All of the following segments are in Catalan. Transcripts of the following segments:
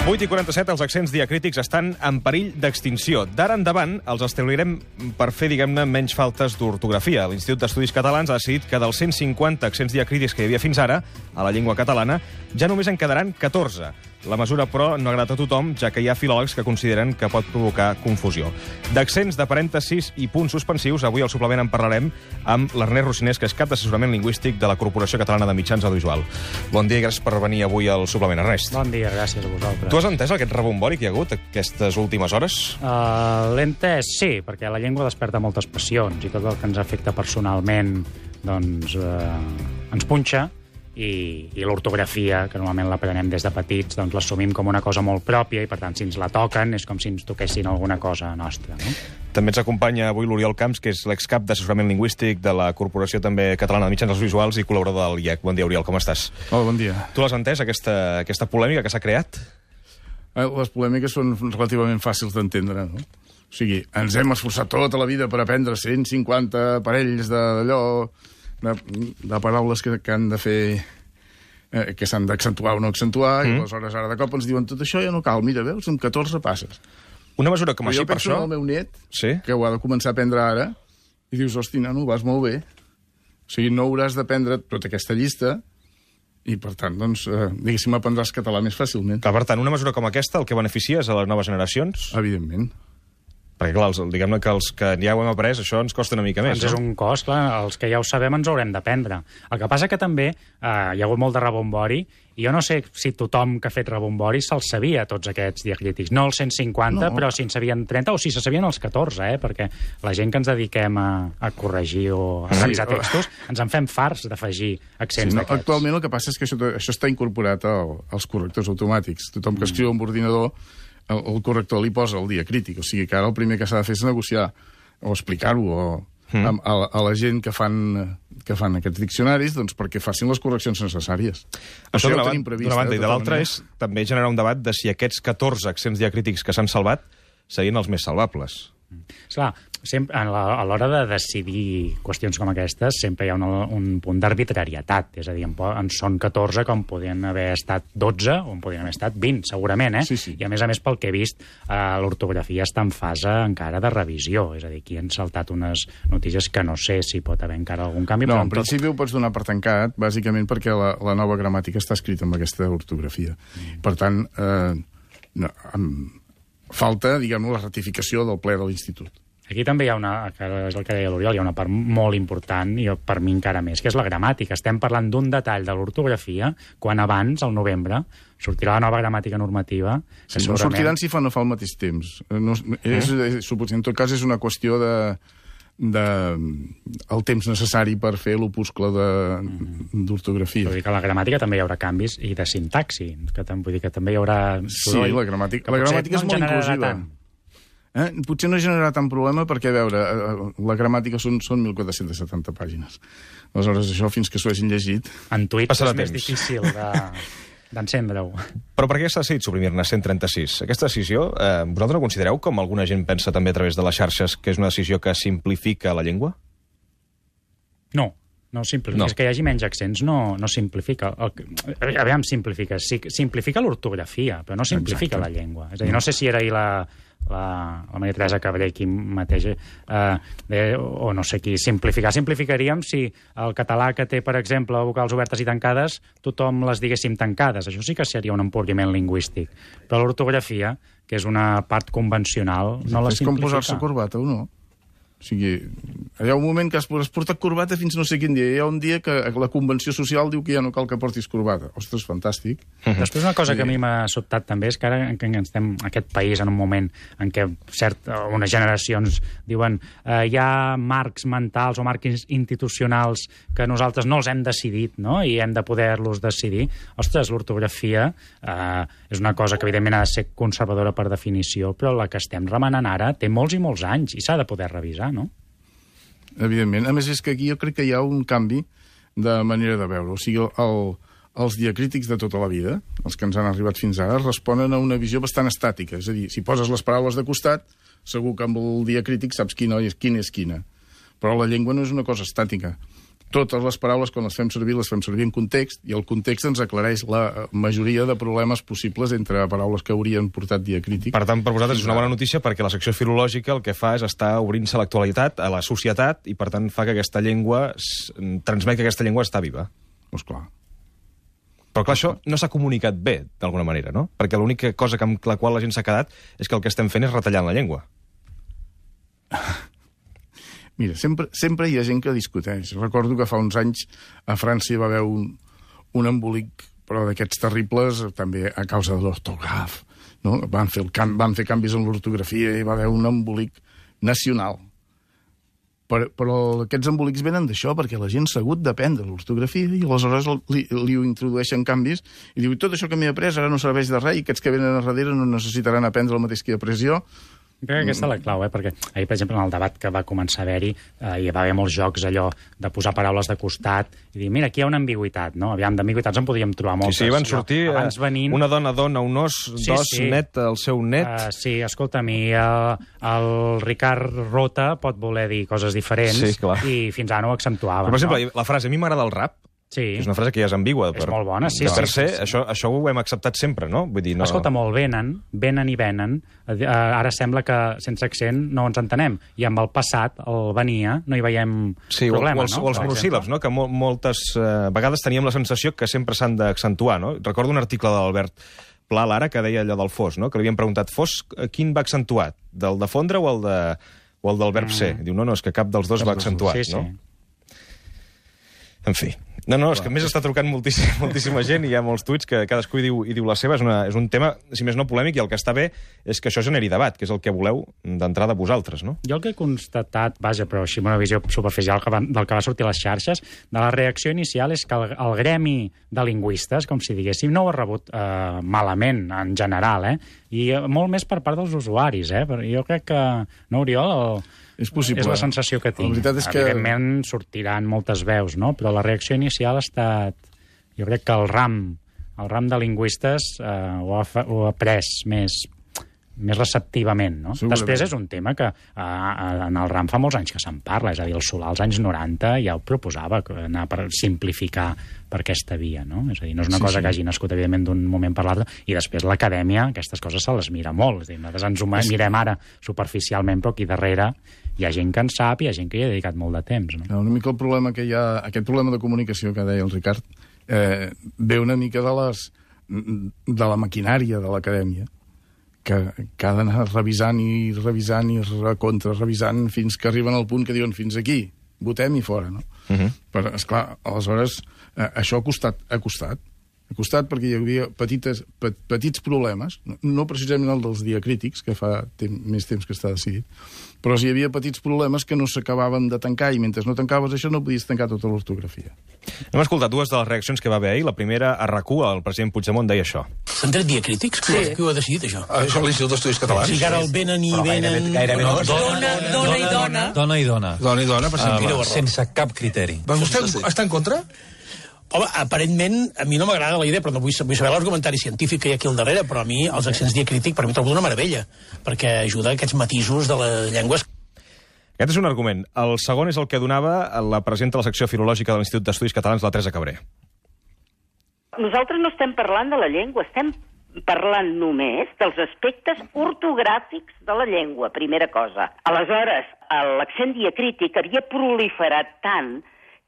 8:47, els accents diacrítics estan en perill d'extinció. D'ara endavant els establirem per fer, diguem-ne, menys faltes d'ortografia. L'Institut d'Estudis Catalans ha decidit que dels 150 accents diacrítics que hi havia fins ara a la llengua catalana ja només en quedaran 14. La mesura, però, no agrada a tothom, ja que hi ha filòlegs que consideren que pot provocar confusió. D'accents, de parèntesis i punts suspensius, avui al suplement en parlarem amb l'Ernest Rocinés, que és cap d'assessorament lingüístic de la Corporació Catalana de Mitjans Audiovisuals. Bon dia i gràcies per venir avui al suplement, Ernest. Bon dia, gràcies a vosaltres. Tu has entès aquest rebombori que hi ha hagut aquestes últimes hores? L'he entès, sí, perquè la llengua desperta moltes passions i tot el que ens afecta personalment doncs, ens punxa. I l'ortografia, que normalment l'aprenem des de petits, doncs l'assumim com una cosa molt pròpia i, per tant, si ens la toquen és com si ens toquessin alguna cosa nostra. No? També ens acompanya avui l'Oriol Camps, que és l'excap d'assessorament lingüístic de la Corporació també Catalana de Mitjans Audiovisuals i col·laborador del IEC. Bon dia, Oriol, com estàs? Hola, bon dia. Tu l'has entès, aquesta polèmica que s'ha creat? Les polèmiques són relativament fàcils d'entendre, no? O sigui, ens hem esforçat tota la vida per aprendre 150 parells d'allò, de paraules que han de fer, que s'han d'accentuar o no accentuar, i aleshores ara de cop ens diuen tot això ja no cal, mira, veus, amb 14 passes. Una mesura com així, per això... Jo penso en el meu net, sí? Que ho ha de començar a aprendre ara, i dius, hosti, nano, vas molt bé. O sigui, no hauràs d'aprendre tota aquesta llista, i per tant, doncs, diguéssim, aprendràs català més fàcilment. Per tant, una mesura com aquesta, el que beneficia és a les noves generacions? Evidentment. Perquè, clar, diguem-ne que els que ja ho hem après, això ens costa una mica més. És un cost, clar, els que ja ho sabem ens haurem d'aprendre. El que passa que també hi ha hagut molt de rebombori, i jo no sé si tothom que ha fet rebombori se'ls sabia, tots aquests diacrítics. No els 150, no. Però si en sabien 30, o si se sabien els 14, perquè la gent que ens dediquem a corregir o a revisar textos, ens en fem farts d'afegir accents d'aquests. Actualment el que passa és que això està incorporat als correctors automàtics. Tothom que escriu amb ordinador, el corrector li posa el diacrític, o sigui que ara el primer que s'ha de fer és negociar o explicar-ho a la gent que fan aquests diccionaris, doncs perquè facin les correccions necessàries. Això d'una banda, i de l'altra és també generar un debat de si aquests 14 accents diacrítics que s'han salvat serien els més salvables. Esclar, a l'hora de decidir qüestions com aquestes sempre hi ha un punt d'arbitrarietat, és a dir, en són 14 com podien haver estat 12 o en podien haver estat 20, segurament, Sí. I a més, pel que he vist, l'ortografia està en fase encara de revisió, és a dir, aquí han saltat unes notícies que no sé si pot haver encara algun canvi. No, en principi ho pots donar per tancat, bàsicament perquè la nova gramàtica està escrita amb aquesta ortografia. Per tant, falta, diguem-ne, la ratificació del ple de l'Institut. Aquí també hi ha que és el que deia l'Oriol, hi ha una part molt important, i per mi encara més, que és la gramàtica. Estem parlant d'un detall de l'ortografia, quan abans, al novembre, sortirà la nova gramàtica normativa. Sí, no sortiran si no fa al mateix temps. En tot cas, és una qüestió el temps necessari per fer l'opuscle d'ortografia. Vull dir que a la gramàtica també hi haurà canvis, i de sintaxi, vull dir que també hi haurà... Sí, la gramàtica és molt inclusiva. Potser no generarà tant problema perquè, a veure, la gramàtica són 1.470 pàgines. Aleshores, això, fins que s'ho hagin llegit... En tuit és més difícil d'encendre-ho. Però per què s'ha decidit suprimir-ne 136? Aquesta decisió, vosaltres la considereu, com alguna gent pensa també a través de les xarxes, que és una decisió que simplifica la llengua? No simplifica. És que hi hagi menys accents, no simplifica. Aviam, simplifica l'ortografia, però no simplifica la llengua. És a dir, no sé si era ahir la Maria Teresa Cabré qui mateix, o no sé qui, simplificaríem si el català que té, per exemple, vocals obertes i tancades, tothom les diguéssim tancades. Això sí que seria un empobriment lingüístic. Però l'ortografia, que és una part convencional, no la simplifica. És com posar-se corbata o no? O sigui, hi ha un moment que has portat corbata fins no sé quin dia. Hi ha un dia que la convenció social diu que ja no cal que portis corbata. Ostres, fantàstic. Després una cosa que a mi m'ha sobtat també és que ara que estem en aquest país en un moment en què unes generacions diuen hi ha marcs mentals o marcs institucionals que nosaltres no els hem decidit, no? I hem de poder-los decidir. Ostres, l'ortografia és una cosa que evidentment ha de ser conservadora per definició, però la que estem remenant ara té molts i molts anys i s'ha de poder revisar, no? Evidentment. A més, és que aquí jo crec que hi ha un canvi de manera de veure. O sigui, els diacrítics de tota la vida, els que ens han arribat fins ara, responen a una visió bastant estàtica. És a dir, si poses les paraules de costat, segur que amb el diacrític saps quina és quina. Però la llengua no és una cosa estàtica. totes les paraules, quan les fem servir en context, i el context ens aclareix la majoria de problemes possibles entre paraules que haurien portat diacrític. Per tant, per vosaltres és una bona notícia perquè la secció filològica el que fa és estar obrint-se a l'actualitat, a la societat, i per tant fa que aquesta llengua, transmet que aquesta llengua està viva. Doncs clar. Però clar, això no s'ha comunicat bé, d'alguna manera, no? Perquè l'única cosa amb la qual la gent s'ha quedat és que el que estem fent és retallant la llengua. Mira, sempre hi ha gent que discuteix. Recordo que fa uns anys a França hi va haver un embolic, però d'aquests terribles, també a causa de l'ortograf. No? Van fer canvis en l'ortografia i va haver un embolic nacional. Però aquests embolics venen d'això, perquè la gent s'ha hagut d'aprendre l'ortografia i aleshores li introdueixen canvis i diu, tot això que m'he après ara no serveix de res i aquests que venen a darrere no necessitaran aprendre el mateix que he après jo. Crec que aquesta és la clau, perquè ahir, per exemple, en el debat que va començar a haver-hi, hi va haver molts jocs allò de posar paraules de costat i dir, mira, aquí hi ha una ambigüitat, no? Aviam, d'ambigüitats en podríem trobar moltes. Sí, van sortir una dona dona un os, net, el seu net... Sí, escolta'm, i el Ricard Rota pot voler dir coses diferents i fins ara no ho accentuava. Però, per exemple, la frase, a mi m'agrada el rap, sí. És una frase que ja és ambigua. És molt bona, sí. Per ser, això ho hem acceptat sempre, no? Vull dir, no... Escolta, molt venen i venen. Ara sembla que sense accent no ens entenem. I amb el passat, el venia, no hi veiem problema, no? O els monosíl·labs, no? Que moltes vegades teníem la sensació que sempre s'han d'accentuar, no? Recordo un article de l'Albert Pla Lara que deia allò del fos, no? Que li havien preguntat, fos, quin va accentuat? Del de fondre o el del verb ser? Diu, no, és que cap dels dos va accentuat, no? En fi. No, és que a més està trucant moltíssima gent i hi ha molts tuits que cadascú hi diu la seva. És un tema, si més no, polèmic, i el que està bé és que això generi debat, que és el que voleu d'entrada vosaltres, no? Jo el que he constatat, vaja, però així amb una visió superficial del que va sortir a les xarxes, de la reacció inicial és que el gremi de lingüistes, com si diguéssim, no ho ha rebut malament, en general, i molt més per part dels usuaris, Jo crec que, no, Oriol... És possible. És la sensació que tinc. La veritat és que... Evidentment sortiran moltes veus, no? Però la reacció inicial ha estat... Jo crec que el ram de lingüistes ho ha pres més receptivament, no? Després és un tema que en el RAM fa molts anys que se'n parla, és a dir, el Solà als anys 90 ja ho proposava, anar per simplificar per aquesta via, no? És a dir, no és una cosa que hagi nascut, evidentment, d'un moment per l'altre, i després l'acadèmia, aquestes coses se les mira molt, és a dir, nosaltres ens ho mirem ara superficialment, però aquí darrere hi ha gent que en sap i hi ha gent que hi ha dedicat molt de temps, no? Una mica el problema que hi ha, aquest problema de comunicació que deia el Ricard, ve una mica de la maquinària de l'acadèmia, que ha d'anar revisant i revisant fins que arriben al punt que diuen fins aquí, votem i fora, no? Però, esclar, aleshores, això ha costat perquè hi havia petits problemes, no precisament el dels diacrítics, que fa més temps que està decidit, però hi havia petits problemes que no s'acabaven de tancar, i mentre no tancaves això no podies tancar tota l'ortografia. Hem escoltat dues de les reaccions que va haver ahir. La primera, a RAC1, el president Puigdemont deia això. S'han tret diacrítics? Sí. Qui ho ha decidit, això? Això l'Institut d'Estudis Catalans. Sí, que ara el venen i venen... Dona i dona. Dona i dona. Dona i dona, per exemple. Sense cap criteri. Vostè està en contra? Home, aparentment, a mi no m'agrada la idea, però no vull saber l'argumentari científic que hi ha aquí al darrere, però a mi els accents diacrítics per mi trobo una meravella, perquè ajuda a aquests matisos de les llengües. Aquest és un argument. El segon és el que donava la presidenta de la secció filològica de l'Institut d'Estudis Catalans, la Teresa Cabré. Nosaltres no estem parlant de la llengua, estem parlant només dels aspectes ortogràfics de la llengua, primera cosa. Aleshores, l'accent diacrític havia proliferat tant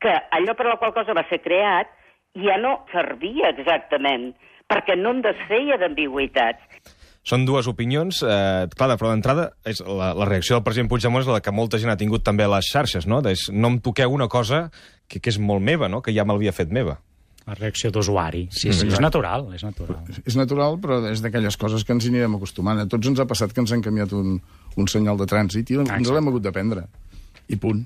que allò per la qual cosa va ser creat ja no servia exactament, perquè no en desfeia d'ambigüitats. Són dues opinions. Clar, però d'entrada, la reacció del president Puigdemont és la que molta gent ha tingut també a les xarxes, no? No em toqueu una cosa que és molt meva, no? Que ja m'havia fet meva. La reacció d'usuari. Sí, és natural, és natural. És natural, però és d'aquelles coses que ens hi anirem acostumant. A tots ens ha passat que ens han canviat un senyal de trànsit i ens l'hem hagut d'aprendre. I punt.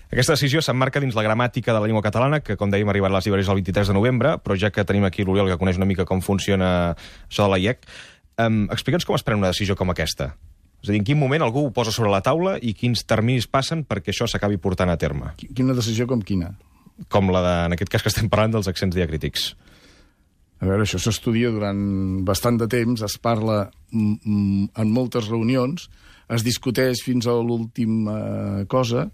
Aquesta decisió s'emmarca dins la gramàtica de la llengua catalana, que, com dèiem, arribarà a les llibreries el 23 de novembre, però ja que tenim aquí l'Oriol, que coneix una mica com funciona això de la IEC, explica'ns com es pren una decisió com aquesta. És a dir, en quin moment algú ho posa sobre la taula i quins terminis passen perquè això s'acabi portant a terme? Quina decisió com quina? Com la de, en aquest cas que estem parlant, dels accents diacrítics. A veure, això s'estudia durant bastant de temps, es parla en moltes reunions, es discuteix fins a l'última cosa,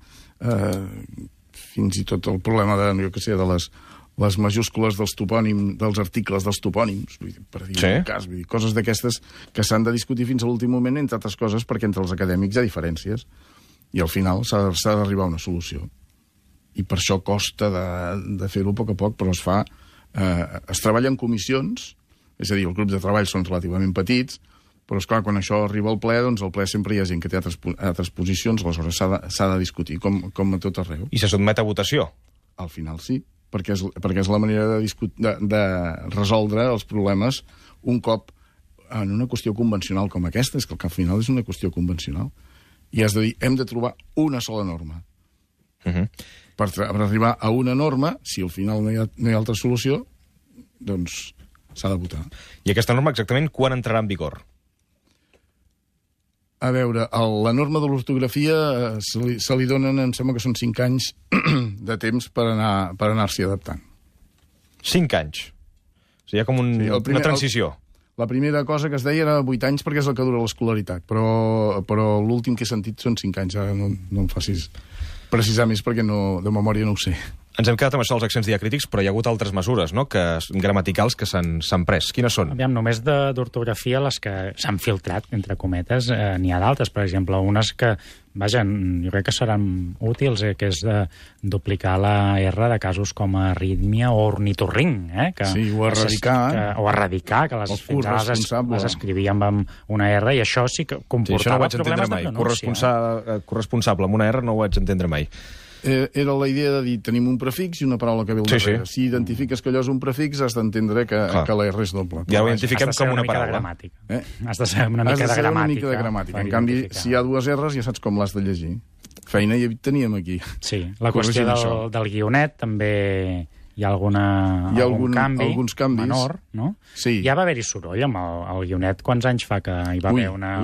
fins i tot el problema de les majúscules dels topònims, dels articles dels topònims, per dir un cas, coses d'aquestes que s'han de discutir fins a l'últim moment, entre altres coses, perquè entre els acadèmics hi ha diferències, i al final s'ha d'arribar a una solució. I per això costa de fer-ho a poc, però es treballa en comissions, és a dir, els grups de treball són relativament petits, però, esclar, quan això arriba al ple, doncs al ple sempre hi ha gent que té altres posicions, aleshores s'ha de discutir, com a tot arreu. I se sotmet a votació? Al final sí, perquè és la manera de resoldre els problemes un cop en una qüestió convencional com aquesta, és que al final és una qüestió convencional. I has de dir, hem de trobar una sola norma. Per arribar a una norma, si al final no hi ha altra solució, doncs s'ha de votar. I aquesta norma exactament quan entrarà en vigor? A veure, la norma de l'ortografia se li donen, em sembla que són 5 anys de temps per anar-s'hi adaptant. 5 anys? O sigui, hi ha com una transició. La primera cosa que es deia era 8 anys perquè és el que dura l'escolaritat, però l'últim que he sentit són 5 anys. Ara no em facis precisar més perquè de memòria no ho sé. Ens hem quedat amb això dels accents diacrítics, però hi ha hagut altres mesures, no?, gramaticals que s'han pres. Quines són? Aviam, només d'ortografia, les que s'han filtrat, entre cometes, n'hi ha d'altres. Per exemple, unes que, vaja, jo crec que seran útils, que és de duplicar la R de casos com arrítmia o ornitorrinc, sí, o erradicar. O erradicar, que les escrivíem amb una R, i això sí que comportava problemes de pronúncia. Corresponsable amb una R no ho vaig entendre mai. Era la idea de dir, tenim un prefix i una paraula que ve al darrere. Si identifiques que allò és un prefix, has d'entendre que la R és doble. Ja ho identifiquem com una paraula. Has de ser una mica de gramàtica. En canvi, si hi ha 2 R's, ja saps com l'has de llegir. Feina hi teníem aquí. Sí, la qüestió del guionet també hi ha algun canvi menor, no? Sí. Ja va haver-hi soroll amb el guionet. Quants anys fa que hi va haver una...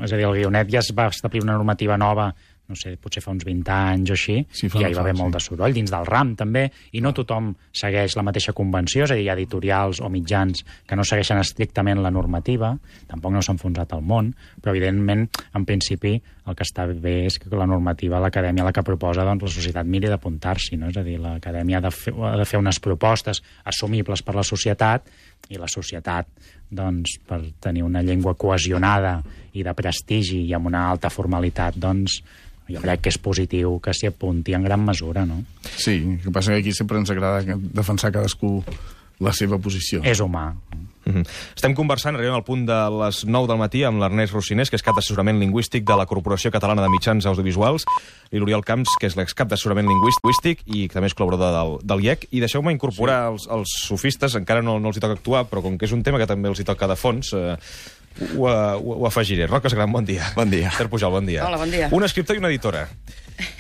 És a dir, el guionet ja es va establir una normativa nova, no sé, potser fa uns 20 anys o així, i ja hi va haver molt de soroll, dins del RAM també, i no tothom segueix la mateixa convenció, és a dir, hi ha editorials o mitjans que no segueixen estrictament la normativa, tampoc no s'ha enfonsat el món, però evidentment, en principi, el que està bé és que la normativa, l'acadèmia, la que proposa, doncs la societat miri d'apuntar-s'hi, no? És a dir, l'acadèmia ha de fer unes propostes assumibles per la societat, i la societat, doncs, per tenir una llengua cohesionada i de prestigi i amb una alta formalitat, doncs, jo crec que és positiu que s'hi apunti en gran mesura, no? Sí, el que passa que aquí sempre ens agrada defensar cadascú la seva posició. És humà. Estem conversant, arribem al punt de les 9 del matí amb l'Ernest Rossinés, que és cap d'assessorament lingüístic de la Corporació Catalana de Mitjans Audiovisuals, i l'Oriol Camps, que és l'excap d'assessorament lingüístic i que també és col·laborador del IEC. I deixeu-me incorporar els sofistes, encara no els hi toca actuar, però com que és un tema que també els hi toca de fons, ho afegiré. Roca Gran, bon dia. Bon dia. Esther Pujol, bon dia. Hola, bon dia. Un escriptor i una editora.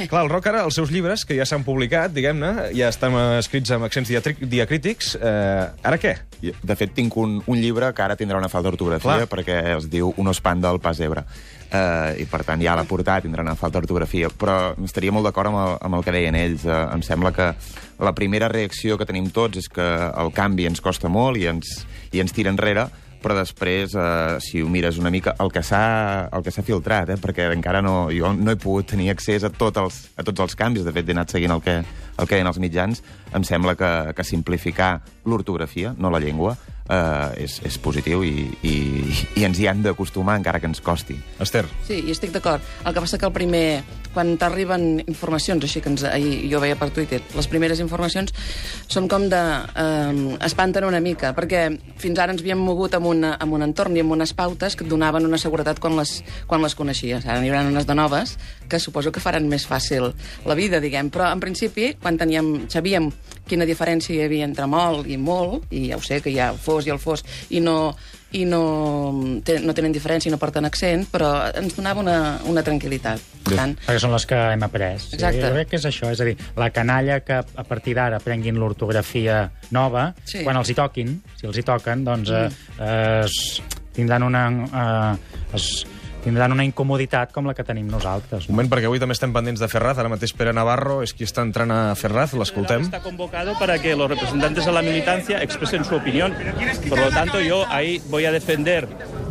Clar, el Roca, ara, els seus llibres, que ja s'han publicat, diguem-ne, ja estan escrits amb accents diacrítics, ara què? De fet, tinc un llibre que ara tindrà una falta d'ortografia, perquè es diu Un ospant del Pas Ebre. I, per tant, ja a la portada tindrà una falta d'ortografia. Però estaria molt d'acord amb el que deien ells. Em sembla que la primera reacció que tenim tots és que el canvi ens costa molt i ens tira enrere, però després, si ho mires una mica, el que s'ha filtrat, perquè encara jo no he pogut tenir accés a tots els canvis, de fet he anat seguint el que deien els mitjans, em sembla que simplificar l'ortografia, no la llengua, és positiu i ens hi han d'acostumar encara que ens costi. Estel. Sí, i estic d'acord. El que passa que el primer, quan t'arriben informacions, així que ahir jo veia per Twitter, les primeres informacions són com espanten una mica, perquè fins ara ens havíem mogut amb un entorn i amb unes pautes que et donaven una seguretat quan les coneixies. Ara n'hi haurà unes de noves que suposo que faran més fàcil la vida, diguem. Però, en principi, quan sabíem quina diferència hi havia entre molt, i ja ho sé, que hi ha fos i el fos, i no tenen diferència i no porten accent, però ens donava una tranquil·litat. Perquè són les que hem après. Exacte. Jo crec que és això, és a dir, la canalla que a partir d'ara prenguin l'ortografia nova, quan els hi toquin, si els hi toquen, doncs tindran una incomoditat com la que tenim nosaltres. Un moment, perquè avui també estem pendents de Ferraz. Ara mateix Pere Navarro és qui està entrant a Ferraz. L'escoltem. Está convocado para que los representantes de la militancia expresen su opinión. Por lo tanto, yo ahí voy a defender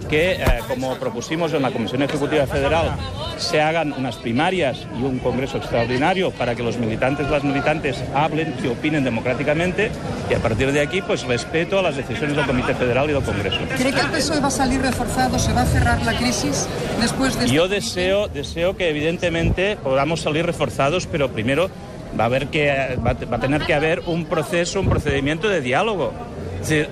que, como propusimos en la Comisión Ejecutiva Federal, se hagan unas primarias y un congreso extraordinario para que los militantes, las militantes hablen y opinen democráticamente, y a partir de aquí, pues respeto a las decisiones del Comité Federal y del Congreso. ¿Cree que el PSOE va a salir reforzado, se va a cerrar la crisis después de... Yo deseo que evidentemente podamos salir reforzados, pero primero va a tener que haber un procedimiento de diálogo. Es decir,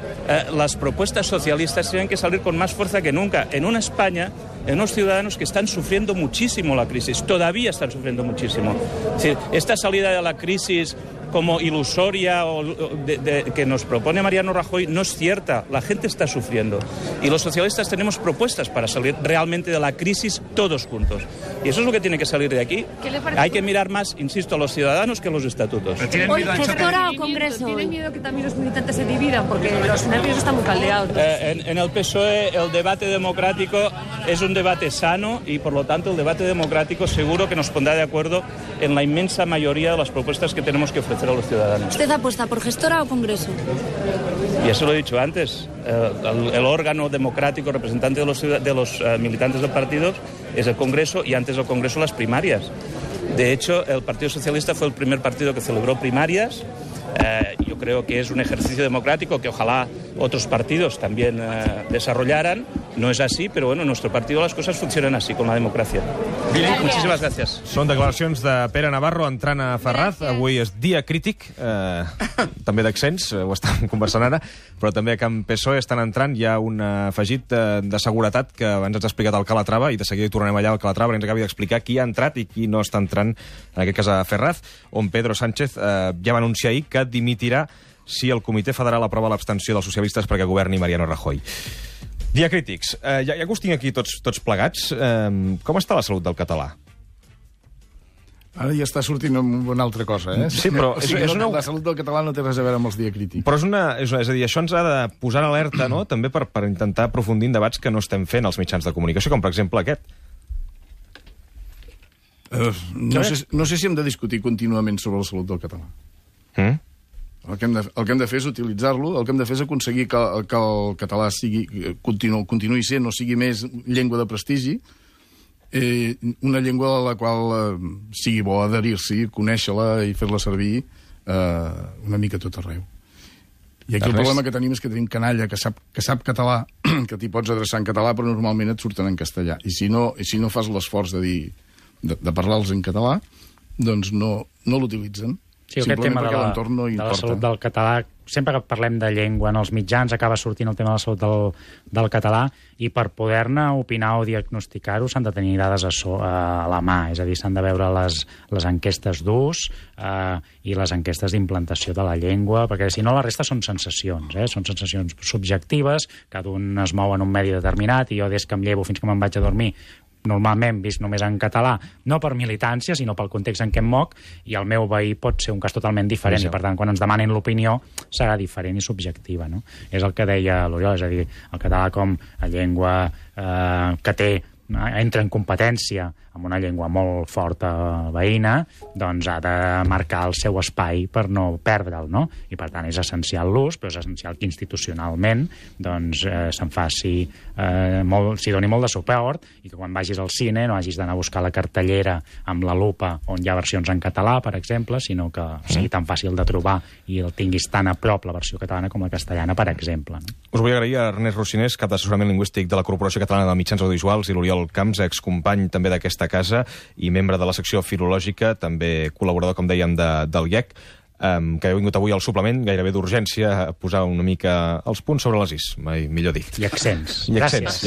las propuestas socialistas tienen que salir con más fuerza que nunca. En una España, en unos ciudadanos que están sufriendo muchísimo la crisis, todavía están sufriendo muchísimo. Es decir, esta salida de la crisis como ilusoria que nos propone Mariano Rajoy no es cierta. La gente está sufriendo. Y los socialistas tenemos propuestas para salir realmente de la crisis todos juntos. Y eso es lo que tiene que salir de aquí. Hay que mirar más, insisto, a los ciudadanos que a los estatutos. Hoy, gestora o Congreso. ¿Tienen miedo que también los militantes se dividan? Porque los nervios están muy caldeados. En el PSOE el debate democrático es un debate sano y, por lo tanto, el debate democrático seguro que nos pondrá de acuerdo en la inmensa mayoría de las propuestas que tenemos que ofrecer a los ciudadanos. ¿Usted apuesta por gestora o Congreso? Ya se lo he dicho antes. El órgano democrático representante de los militantes del partido es el Congreso, y antes del Congreso las primarias. De hecho, el Partido Socialista fue el primer partido que celebró primarias. Yo creo que es un ejercicio democrático que ojalá otros partidos también desarrollaran. No és així, però bueno, en el nostre partit les coses funcionen així, com la democràcia. Muchísimas gracias. Són declaracions de Pere Navarro entrant a Ferraz. Avui és dia crític, també d'accents, ho estem conversant ara, però també a Can PSOE estan entrant. Hi ha un afegit de seguretat que abans ens ha explicat el Calatrava, i de seguida hi tornarem allà al Calatrava perquè ens acabi d'explicar qui ha entrat i qui no està entrant, en aquest cas a Ferraz, on Pedro Sánchez ja va anunciar ahir que dimitirà si el Comitè Federal aprova l'abstenció dels socialistes perquè governi Mariano Rajoy. Diacrítics, ja que us tinc aquí tots plegats, com està la salut del català? Ara ja està sortint una altra cosa, eh? Sí, però la salut del català no té res a veure amb els diacrítics. Però és a dir, això ens ha de posar en alerta, no?, també per intentar aprofundir en debats que no estem fent als mitjans de comunicació, com per exemple aquest. No sé si hem de discutir contínuament sobre la salut del català. El que hem de fer és utilitzar-lo, el que hem de fer és aconseguir que el català continuï sent, no sigui més llengua de prestigi, una llengua a la qual sigui bo adherir-s'hi, conèixer-la i fer-la servir una mica tot arreu. I aquí el problema que tenim és que tenim canalla que sap català, que t'hi pots adreçar en català, però normalment et surten en castellà. I si no fas l'esforç de parlar-los en català, doncs no l'utilitzen. Sí, aquest tema de la salut del català, sempre que parlem de llengua en els mitjans acaba sortint el tema de la salut del català, i per poder-ne opinar o diagnosticar-ho s'han de tenir dades a la mà, és a dir, s'han de veure les enquestes d'ús i les enquestes d'implantació de la llengua, perquè si no la resta són sensacions, són sensacions subjectives, cada un es mou en un medi determinat, i jo des que em llevo fins que me'n vaig a dormir normalment vist només en català, no per militància, sinó pel context en què em moc, i el meu veí pot ser un cas totalment diferent, i per tant, quan ens demanen l'opinió, serà diferent i subjectiva, no? És el que deia l'Oriol, és a dir, el català com a llengua que entra en competència amb una llengua molt forta veïna, doncs ha de marcar el seu espai per no perdre'l, no? I per tant és essencial l'ús, però és essencial que institucionalment doncs se'n faci s'hi doni molt de suport, i que quan vagis al cine no hagis d'anar a buscar la cartellera amb la lupa on hi ha versions en català, per exemple, sinó que sigui tan fàcil de trobar i el tinguis tan a prop la versió catalana com la castellana, per exemple. Us vull agrair a Ernest Rocinés, cap d'assessorament lingüístic de la Corporació Catalana de Mitjans Audiovisuals, i l'Oriol Camps, excompany també d'aquesta casa i membre de la secció filològica, també col·laborador, com dèiem, del IEC, que heu vingut avui al suplement, gairebé d'urgència, a posar una mica els punts sobre les is, mai millor dit. I accents. Gràcies.